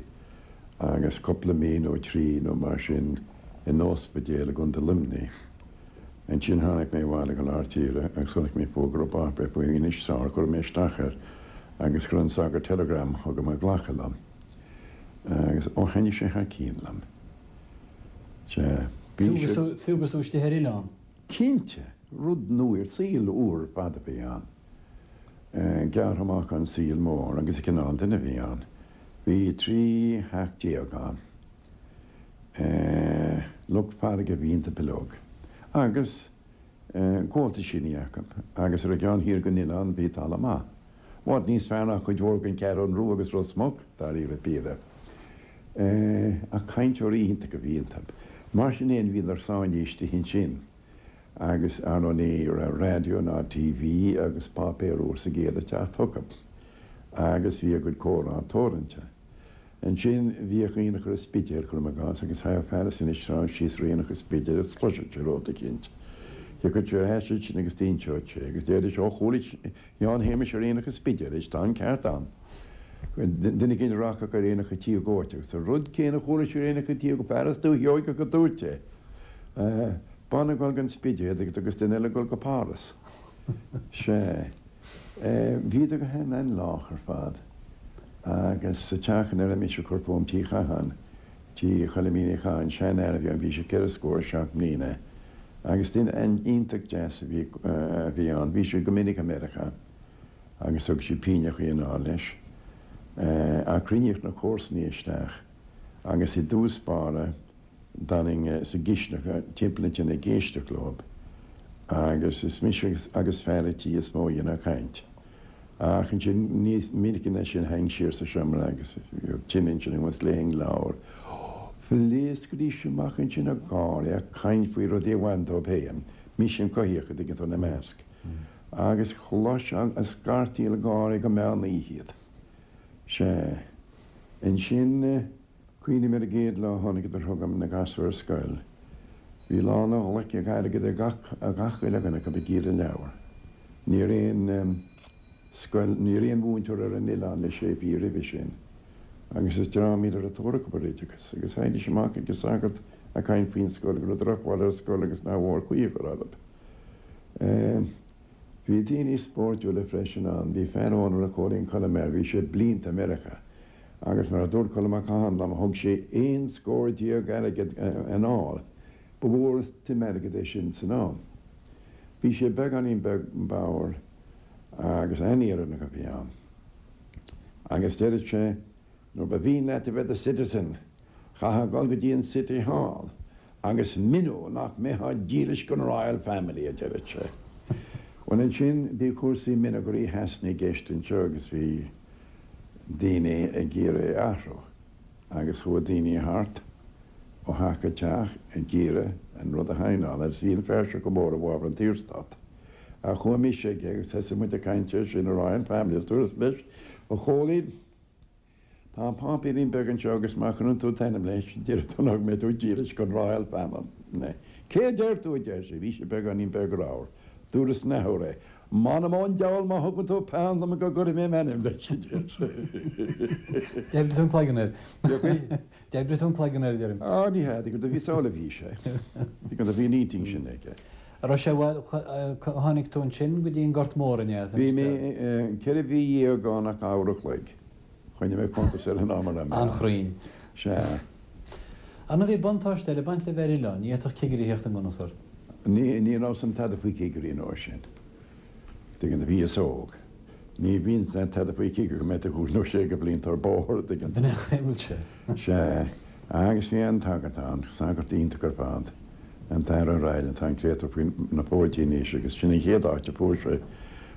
agus cúpla mí nó trí nó mar sin in ospidéal i gContae Luimnigh. Ansin tháinig mé abhaile go lár tíre agus chonaic mé fógra páipéir faoi Inis Sár, chuir mé isteach air agus chuir an sagart telegram chugam ag glacadh liom. Agus ó thaitnigh sé thar cionn liom. Sea, bhí sé. Fiú agus tú istigh ar oileán? Cinnte! Rud nua, saol úr ar fad a bhí ann. Gearrtha amach ón saol mór agus an cineál duine a bhí ann. Bhí trí theach déag ann. Lucht farraige a bhí iontu uilig. Agus gabháltaisíní acu. Agus ar an gceann thiar den oileán bhí talamh maith. I bhfad níos fearr ná cuid mhór den Cheathrú Rua agus Ros Muc, dáiríre píre. Ach cainteoirí iontacha a bhí iontu. Mar sin fhéin bhíodar sáinnithe istigh ansin. Agus ar ndóigh ní raibh raidió ná T V agus páipéar uair sa gcéad ag teacht chucu. Agus bhí a gcuid comhrá teoranta. Ansin bhíodh aonach ar an Spidéal, cuirim i gcás, agus thagadh fear as Inis Trá síos ar aonach an Spidéil agus chloisfeadh sé rud eicínt. Thiocfadh sé ar ais ansin agus d'inseodh sé agus déarfadh sé, Ó chuala Sheán Shéamais ar aonach an Spidéil é, tá an ceart ann. Duine eicínt a rachadh ar aonach an Tí Dhóite agus an rud céanna a chuala sé ar aonach an Tí, fear as Dúiche Sheoigeach a dúirt é. Bean ag dul gon Spidéal agus duine eile ag dul go Páras. Sea. Bhíodar go han-lách ar fad. Agus sa teach ina raibh mise ag cur fúm, Tigh Chatháin, Tigh Choilimín Uí Chatháin, seanfhear a bhí ann, bhí sé ceithre scór is seacht mbliana, agus duine iontach deas a bhí a bhí ann. Bhí sé go minic i Meiriceá agus thug sé pínneachaí anall leis. Ach chruinníodh na comharsanaí isteach agus i dtús báire d'fhanainn sa gcisteanach timpeall na tine ag éisteacht leob agus is mise agus fear a' tí is mó a dhéanadh caint. Ach ansin níos minice ná sin théinn siar sa seomra agus bhíodh tine ansin agus léifinn leabhar. Phléascaidís amach ansin ag gáire, ag caint faoi rudaí a bhain dóibh féin, mise an coimhthíoch, a' dtuigeann tú, ina measc. Agus chloisfeá ag scartaíl gáire go meán oíche iad. Sea. Ansin, cuimhním ar an gcéad lá a tháinigeadar chugam, na gasúir ar scoil. Bhí lán a ghlaice airgid ag gach, gach uile dhuine acu ag iarraidh leabhar. Ní raibh aon scoil, ní raibh aon mhúinteoir ar an oileán le sé mhí roimhe sin. Agus is dream iad a raibh tóir acu ar oideachas. Agus theighidís amach ag an sagart ag caint faoin scoil, go raibh drochbhail ar an scoil agus nár mhór caoi a chur orthu. Bhí daoine spóirtiúla freisin ann. Bhí fear ann a raibh Cóilín Choilm air, bhí sé blianta i Meiriceá agus mar a dúirt Colm Mac Catháin liom, thug sé aon scór déag airgid anall. Ba mhór an tsuim airgid é sin san am. Bhí sé beagáinín beag bodhar agus an-Éireannach a bhí ann. Agus deireadh sé, nuair ba mhian leat a bheith i do citizen, chaithfeá dul go dtí an City Hall agus mionnú nach mbeifeá dílis don Royal Family, a deireadh sé. Bhuel ansin bhí cúrsaí mionnadh Rí Shasana i gceist anseo agus bhí daoine ag iarraidh é a athrú agus chuaigh daoine thart ó theach go teach ag iarraidh an rud a shaighneáil agus bhí an fear seo go mór i bhfabhar an tSaorstát. Ach chuaigh mise aige agus thosaigh muid ag caint air sin, Royal Family, agus dúras leis, A Chóilín, Tá páipéirín beag anseo agus má chuireann tú t'ainm leis, déarfaidh tú nach mbeidh tú dílis don Royal Family. Cé a deir tú, a deir sé. Bhí sé beagáinín beag ramhar. Dúras an athuair é. M'anam ón diabhal má thugann tú peann dom go gcuirfidh mé m'ainm leis, a deir sé. D'oibrigh tú an cloigeann air. D'oibrigh tú an cloigeann air, a deirim. Á, ní hea, do bhí samhail a bhí sé. Do bhí an intinn sin aige. An raibh sé, bhuel, tháinig tú ansin go dtí an Gort Mór, an ea? Bhí mé ceithre mhí dhéag ann ach uair a chloig. Choinnigh mé cuntas ar an am a raibh mé ann. An-chruinn. Sea. Ar ndóigh bhí buntáiste eile ag baint le bheith ar oileán, ní fhéadfadh cigirí a theacht i ngan fhios ort. Ní, ní raibh 's a'm tada faoi chigirí an uair sin. Tuigeann tú, bhíos óg. Ní bhíonn tada faoi chigire go mbeidh tú cúig nó sé de bhlianta ar bóthar, tuigeann tú. B'in é an chaoi a bhfuil sé. Sea. Agus bhí an tagart ann, sagart iontach ar fad, an tAthair O'Reilly, tá an créatúr faoi na fóidí anois agus sin an chéad áit a fuair sé,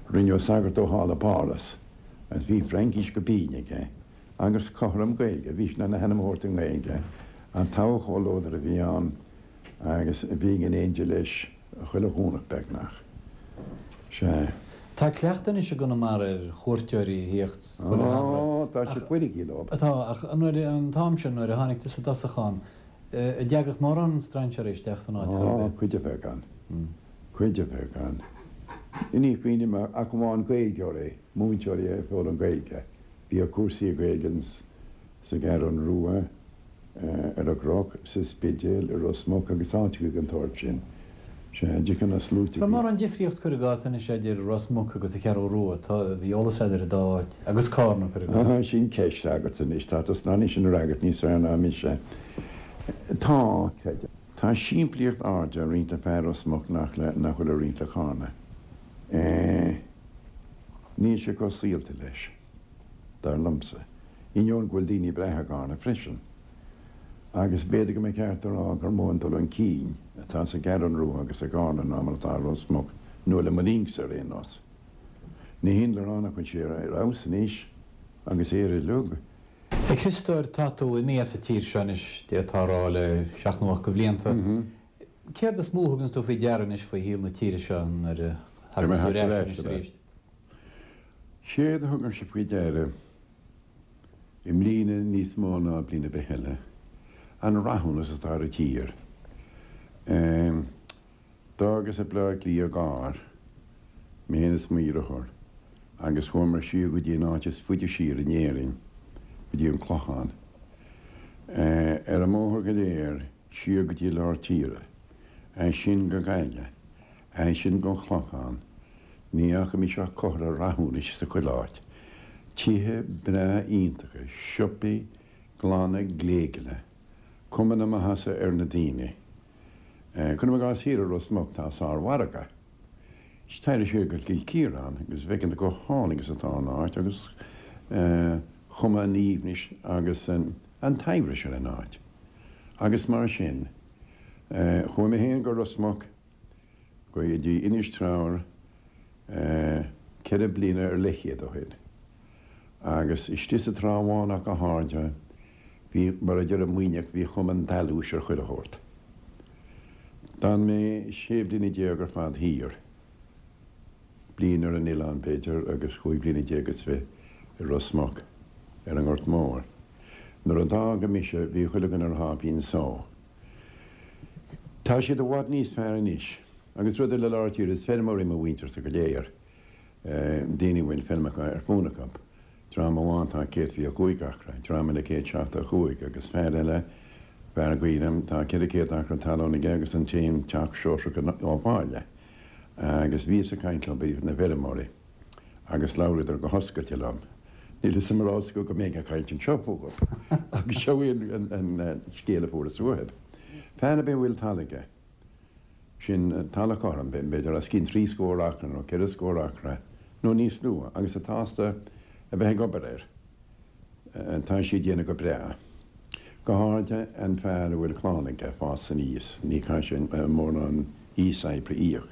rinneadh sagart dó thall i bPáras agus bhí Fraincis go binn aige agus cothrom Gaeilge, bhí sé in ann a hainm a thabhairt i nGaeilge, an togha chomhluadar a bhí ann agus bhínn in éindí leis chuile Dhomhnach beagnach. Sea. Tá cleachtadh anois i gConamara ar chuairteoirí a thíocht chuile shamhradh. Á, tá siad fuiricí leo. Tá, ach nuair, an t-am sin, nuair a tháinig tusa i dtosach ann, an dteagadh mórán strainséirí isteach san áit chor ar Á, bith? cuid a bheadh ann. Cuid a bheadh ann. Ní chuimhním ach amháin Gaeilgeoirí, múinteoirí ag foghlaim Gaeilge. Bhíodh cúrsaí Gaeilge sa gCeathrú Rua. ar an gCnoc, sa Spidéal, i Ros Muc agus áiteacha den tsórt sin. Sea, dtiocfadh na sluaite Raibh go. mórán difríocht, cuir i gcás, anois idir Ros Muc agus an Cheathrú Rua, tá, bhí eolas agat ar an dá áit, agus Cárna, cuir i gcás. Ah, sin ceist agatsa anois, tá tusa in ann í sin a fhreagairt níos fearr ná mise. Tá, creidim. Tá simplíocht áirithe ag roinnt le fear Ros Muc nach le, nach bhfuil ag roinnt le Cárna. Eh, níl sé chomh saolta leis. dar liomsa, ainneoin go bhfuil daoine breátha i gCarna freisin. Agus b'fhéidir go mba cheart a rá gur mó an dul chun cinn atá sa gCeathrú Rua agus i gCarna ná mar atá i Ros Muc, nó le mo linnse ar aon nós. Ní hin le rá nach bhfuil sé ar fheabhas anois agus Éire uilig. A Chriostóir, tá tú imithe as an tír seo anois, d'fhéadfá a rá, le seacht nó ocht de bhlianta. Céard is mó a thuganns tú faoi deara anois faoi shaol na tíre seo nuair a thaganns tú ar ais anois arís? Séard a thugaimse faoi deara i mbliana níos mó ná bliain ar bith eile, an rathúnas atá ar an tír. D'fhágas Baile Átha Cliath i gcarr, mé féin is mo dheartháir, agus chuamar siar go dtí an áit is faide siar in Éirinn, go dtí an Clochán. Ar an mbóthar go léir siar go dtí lár tíre, Ansin go Gaillimh, ansin gon Chlochán. Ní fhaca mise ach comhartha rathúnais sa chuile áit. Tithe breá iontacha, siopaí glana gléigeala, cuma na maitheasa ar na daoine. Cuirim i gcás thiar i Ros Muc tá sármhargadh. Is téir siar go Cill Chiaráin agus bhfeiceann tú go hálainn is atá an áit agus cuma an aoibhnis agus an tsaibhris ar an áit. Agus mar sin, chuaigh mé féin go Ros Muc, go dtí Inis Treabhair ceithre bliana ar leithchéad ó shin. Agus istigh sa Trá Bháin ach go háirithe, bhí, mar a deir an Muimhneach, bhí cuma an dealúis ar chuile shórt. D'fhan mé sé bliana déag ar fad thiar, bliain ar an oileán, b'fhéidir, agus cúig bliana déag is fiche i Ros Muc, ar an nGort Mór. Nuair a d'fhága mise, bhí chuile dhuine ar a sháipín só. Tá siad i bhfad níos fearr anois. Agus rud eile lár tíre, is feirmeoirí mo mhuintirse go léir, daoine a bhfuil feilmeacha ar fún acu. Dream amháin tá céad fiche a cúig acra, dream eile céad seachtó a cúig agus fear eile, fear gaoil liom, tá ceithre chéad acra talún aige agus an t-aon teach sóisearach ó bhaile. Agus bhíos ag caint leo, b'iad na feirmeoirí, agus labhraíodar go hoscailte liom. Níl fhios agam an raibh fhios acu go mbeinn ag caint anseo fúthu, agus seo í an scéal a fuaireas uathu. Fear ar bith a bhfuil talamh aige, sin talamh cothrom, b'fhéidir os cionn trí scór acra nó ceithre scór acra nó níos lú, agus atá sásta a bheith ag obair air, tá sé ag déanamh go breá. Go háirithe an fear a bhfuil clann aige ag fás aníos, ní chaithfidh sé mórán íos-oibre a íoc.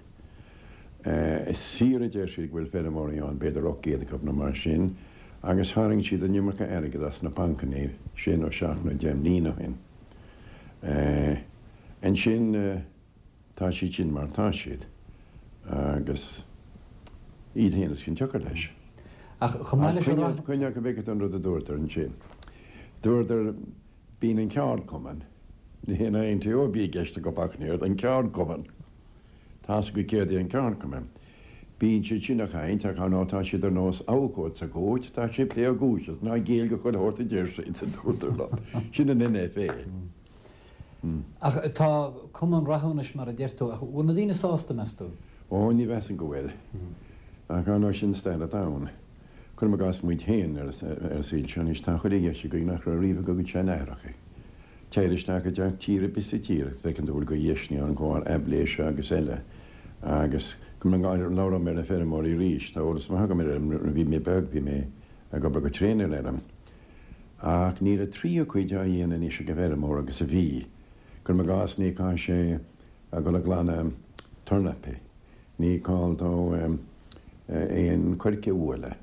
Is fíor a deir siad go bhfuil feirmeoirí ann, b'fhéidir ocht gcéad acu nó mar sin, agus tharraing siad an iomarca airgid as na bancanna sé nó seacht nó deich mbliana ó shin. Ansin tá siad sin mar atá siad agus iad féin is cionsiocair leis. Ach chomh maith leis an rath. Coinneoidh go bhfeicfidh tú an rud a dúradar ansin. Dúradar, bíonn an ceardchumann, ní hé an I N T O a bhí i gceist acu ach an oiread, an ceardchumann. Tá's agat céard é an ceardchumann. Bíonn siad sin ag caint ach ar ndóigh tá siad ar nós abhcóid sa gcúirt, tá siad ag plé a gcúis is ná géill do chuile shórt a deir siad, a dúradar liom. Sin an N F A. Ach tá cuma an rathúnais mar a deir tú, ach bhfuil na daoine sásta, meas tú? Ó, ní mheasaim go bhfuil. Ach ar ndóigh sin staid an domhain. Cuirim i gcás muid féin ar an saol seo anois, tá chuile dheis againn nach raibh riamh ag ár gcuid seanaithreacha. Téir isteach i dteach tí ar bith sa tír agus feiceann tú go bhfuil de dheiseanna ann go aibhléise agus eile. Agus labhróidh mé ar na feirmeoirí arís, tá eolas maith agam ar fheirm, nuair a bhí mé beag bhí mé ag obair go tréan ar fheirm. Ach níl an tríú cuid á dhéanamh anois ag an bhfeirmeoir agus a bhí. Cuirim i gcás ní caithfidh sé a dhul ag glanadh tornapaí, ní call dó aon choirce a bhualadh,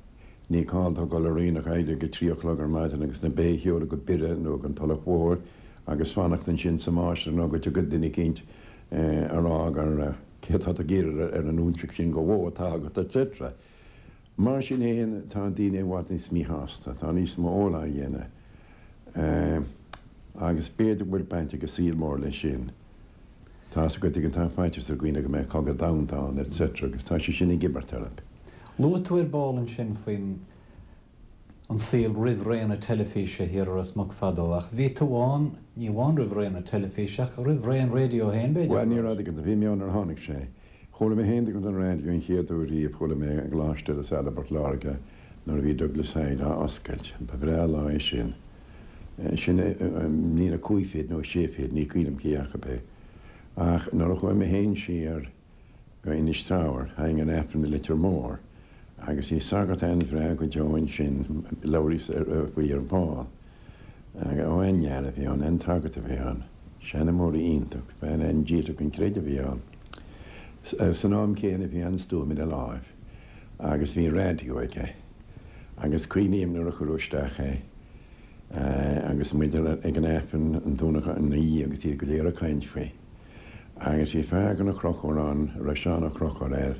ní call dó dul ar aonach éirí ag a trí a chlog ar maidin agus na ba a sheoladh go Biorra nó go an Tulach Mhór agus fanacht ansin sa máistir nó go dtiocfaidh duine eicínt a rá gur céard tá tú ag iarraidh ar an óinseach sin de bhó atá agat et cetera. Mar sin féin tá daoine i bhfad níos míshásta, tá níos mó óil á dhéanamh agus b'fhéidir go bhfuil baint ag an saol mór leis sin. Tá's agat go tá faitíos ar dhaoine go mbeidh cogadh domhanda ann et cetera agus tá sé sin ag imirt orthu. Luaigh tú ar ball ansin faoin an saol roimh ré na teilifíse thiar i Ros Muc fadó, ach bhí tú ann, ní amháin roimh ré na teilifíse ach roimh ré an raidió féin, b'fhéidir? Bhuel, ní raibh, bhí mé ann nuair a tháinig sé. Chuala mé féin an raidió an chéad uair riamh, chuala mé i gColáiste La Salle i bPort Láirge nuair a bhí Douglas Hyde á oscailt. Ba bhreá lá é sin. Sin i mbliain a cúig fichead nó a sé fichead, ní cuimhin liom cé acu é. Ach nuair a chuaigh mé féin siar go Inis Treabhair, tháinig an Aifreann i Leitir Móir agus bhí sagart an-bhreá go deo ansin, labhraíos faoi ar ball. Ó an-fhear a bhí ann, an-tsagart a bhí ann, seanmóir iontach, bean an-dílseach don chreideamh a bhí ann. San am céanna bhí an-stuaim ina láimh agus bhí raidió aige. Agus cuimhním nuair a cuireadh isteach é agus muid ag an Aifreann an Domhnach an oíche agus iad go léir ag caint faoi. Agus bhí fear de na Conchúir ann, a raibh Seán Ó Conchúir air,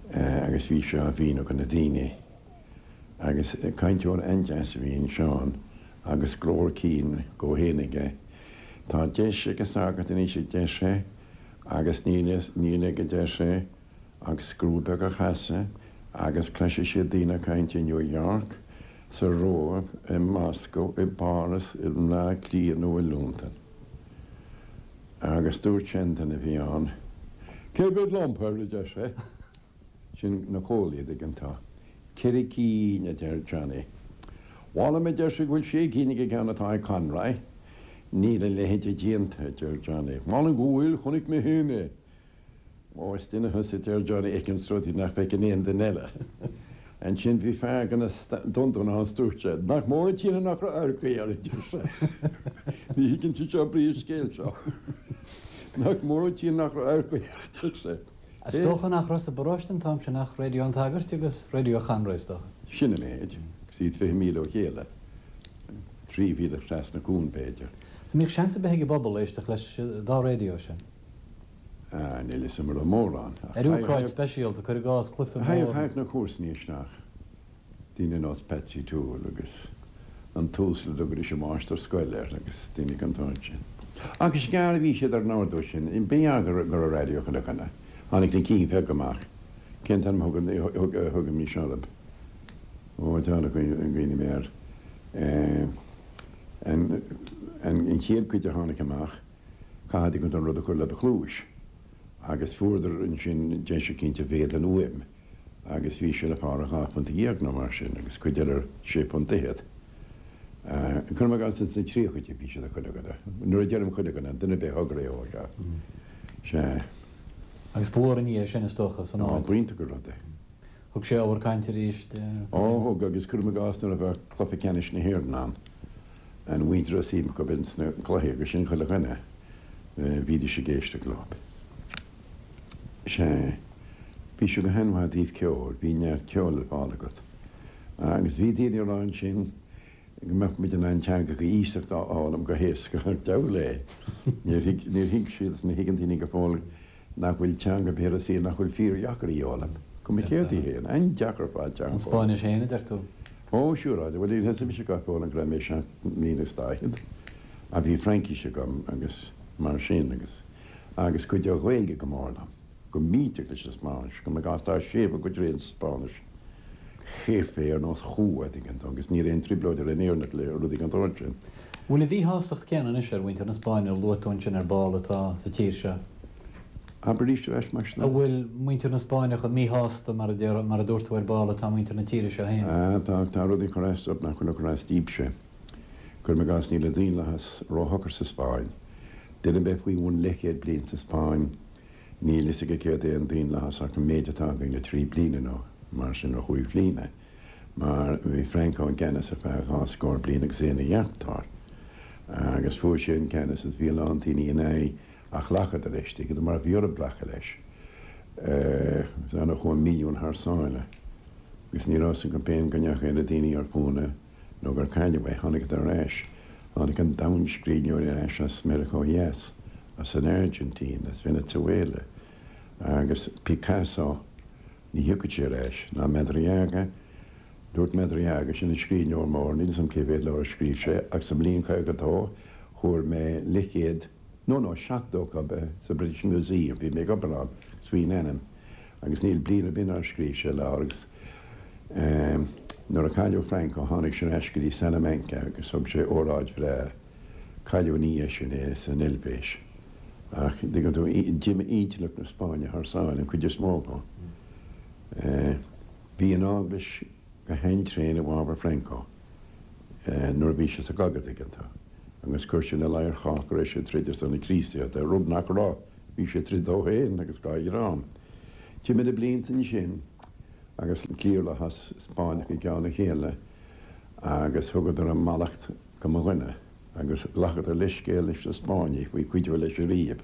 agus bhí sé á mhíniú do na daoine. Agus cainteoir an-deas a bhí in Seán agus glór cinn dhó féin aige. Tá deis ag an sagart anois a deir sé, agus níl níl aige a deir sé, ach scriú beag a chasadh agus cloisfidh siad daoine ag caint i New York, sa Róimh, i Moscow, i bPáras, i mBleá Cliath nó i Londain. Agus dúirt seanduine a bhí ann, Cé mhéad lampa, a deir sé. Sin na comhlaí, an dtuigeann tú. Ceithre cinn, a deir Johnny. Mh'anam, a deir sé, go bhfuil sé cinn ag an gceann atá ag Conroy. Níl a leithéide déanta, a deir Johnny. Mh'anam go bhfuil, chonaic mé féin é. Ó, is duine thusa, a deir Johnny, a fheiceanns rudaí nach bhfeiceann aon duine eile. Ansin bhí fear de na Dundún ann is dúirt sé, Nach mór an t-ionadh nach raibh adharcaí air, a deir sé. Ní thuigeann siad seo brí an scéil seo. Nach mór an t-ionadh nach raibh adharcaí air, a deir sé. Is dócha nach raibh sa bparóiste an t-am sin ach Raidió an tSagairt agus Raidió Chonroy, is dócha. Sin an méid, agus iad fiche míle ó chéile, trí mhíle trasna cuan, b'fhéidir. An mbíodh seans ar bith ag an bpobal éisteacht leis an dá raidió sin? Ah, níl fhios agam an raibh mórán. Ar ócáid speisialta, cuir i gcás, cluiche mór. Thagadh na comharsanaí isteach, daoine ar nós Patsy Toole agus an t-uasal a dtugaidís an máistir scoile air agus daoine den tsórt sin. Ach is gearr a bhí siad ar an ordú sin, b'ea go raibh raidió chuile dhuine. Tháinig na cinn bheaga amach. Cén t-ainm a thugaimis orthu? Ó, dearg a gcuimhní mé air. An chéad chuid a tháinig amach, caithfidh tú an rud a chur le do chluais. Agus fuaireadar ansin deis eicínt a mhéad an fhuaim agus bhí sé le fáil ar dhá phunt dhéag nó mar sin agus cuid eile ar sé phunt fhichead. Cuirim i gcás ins na tríochaidí bhí siad ag chuile dhuine. Nuair a deirim chuile dhuine, duine ar bith a thug raidió, sea. Sea. Agus ba mhór an ní é sin is dócha san áit. Á, b'iontach an rud é. Thug sé ábhar cainte arís. Ó, thug, agus cuirim i gcás nuair a bheadh cluiche ceannais na hÉireann ann, an mhuintir a raibh suim acu ins na cluichí agus sin chuile dhuine, bhídís ag éisteacht leo. Sea, bhí sé go han-mhaith i dtaobh ceoil, bhí neart ceoil le fáil agat. Agus bhí daoine ag rá ansin go mbeadh muid in ann teangacha iasachta a fhoghlaim go héasca, ach diabhal é! Níor thuig, níor thuig siad is ní thuigeann daoine go fóill nach bhfuil teanga ar bith ar an saol nach bhfuil fíordheacair í a fhoghlaim. Cuma céard í féin. An-deacair ar fad teanga An a fhoghlaim. Spáinnis féin, a deir tú? Ó, siúráilte. Bhuel, níor thosaigh mise á foghlaim go raibh mé seacht mbliana is daichead. Ach bhí Fraincis agam agus mar sin agus, agus chuidigh an Ghaeilge go mór liom. Go millteach leis an Spáinnis. Cuirim i gcás tá séimhiú go tréan sa Spáinnis. Jefe ar nós chú, a dtuigeann tú, agus níl aon trioblóid ar an Éireannach le rudaí den tsórt sin. Bhfuil an mhíshástacht céanna anois ar mhuintir na Spáinne a luaigh tú ansin ar ball atá sa tír seo? Abair arís ar ais mar sin. An bhfuil muintir na Spáinne chomh míshásta mar a deir, mar a dúirt tú ar ball atá muintir na tíre seo féin? Ah, tá, tá rudaí ag cur as dóibh nach bhfuil ag cur as daoibhse. Cuirim i gcás, níl an daonlathas róshocair sa Spáinn. Duine ar bith faoi bhun leathchéad bliain sa Spáinn, Níl fhios aige céard é an daonlathas ach an méid atá againn le trí bliana nó mar sin, nó chúig bhliana, mar bhí Franco i gceannas ar feadh dhá scór bliain agus é ina dheachtóir agus fuair sé an ceannas agus bhí a lán daoine ina aghaidh ach ghlacadar leis, tuigeann tú, mar bhí orthu glacadh leis. Is annamh a chuaigh milliún thar sáile agus ní raibh fhios acu féin go ndeachaigh na daoine ar fónamh nó gur cailleadh é. Tháinigeadar ar ais. Tháinig an domhan scríbhneoirí ar ais as Meiriceá Theas. as an Airgintín, as Venezuela, agus Picasso, ní thiocfadh sé ar ais, ná Madariaga. Dúirt Madariaga, sin an scríbhneoir mór, níl 'fhios a'm cé mhéad leabhar a scríobh sé, ach sa mbliain caoga dó fuair mé leathchéad, no, no, seachtó acu sa British Museum, bhí mé ag obair ann, agus faoina ainm, agus níl bliain ar bith nár scríobh sé leabhar, agus nuair a cailleadh Franco tháinig sé ar ais go dtí Salamanca agus thug sé óráid bhreá. Cailleadh ina dhiaidh sin é san Eilvéis. Ach, dtuigeann tú, d'imigh intleacht na Spáinne thar sáile, an chuid is mó acu. Bhí an Eaglais go han-tréan i bhfabhar Franco nuair a bhí sé sa gcogadh, tuigeann tú, agus chuir sin i ladhar chách go raibh sé ag troid ar son na Críostaíochta, rud nach raibh, bhí sé ag troid dó féin agus dá dhream. D'imigh na blianta ansin agus cliarlathas Spáinneach i gceann a chéile agus thugadar a mallacht go mo dhuine. Agus ghlacadar leithscéal leis na Spáinnigh faoi cuidiú leis ariamh.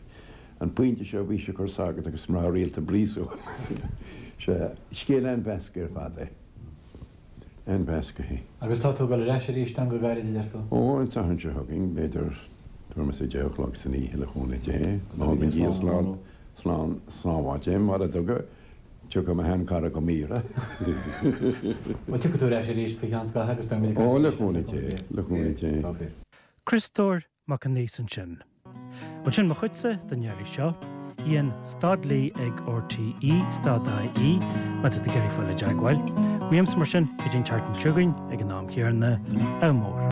An pointe seo bhí sé ag cur sagart agus mná rialta i bpríosún. Sea, scéal an-mheasctha ar fad é. An-mheasctha é. Agus tá tú ag dul ar ais arís ann go gairid, a deir tú? Ó, an Satharn seo chugainn, b'fhéidir tuairim is a deich a chlog san oíche, le cúnamh Dé. Má thugann Dia slán, slán sábháilte é, mura dtuga, tiocfaidh mo sheanchara go m'aoire. Bhuel, tiocfaidh tú ar ais arís faoi cheann scaithimh agus beidh muid ag Ó, caint le arís. cúnamh Dé, le cúnamh Dé. Tá fíor. Criostóir Mac an Aois ansin. Bhuel, sin mo chuidse don iarraidh seo. Ian stad Lee ag RTE stad IE má tá tú ag iarraidh fáil i dteagmháil. Uaimse mar sin, go dtí an tseachtain seo chugainn ag an am chéanna, ádh mór.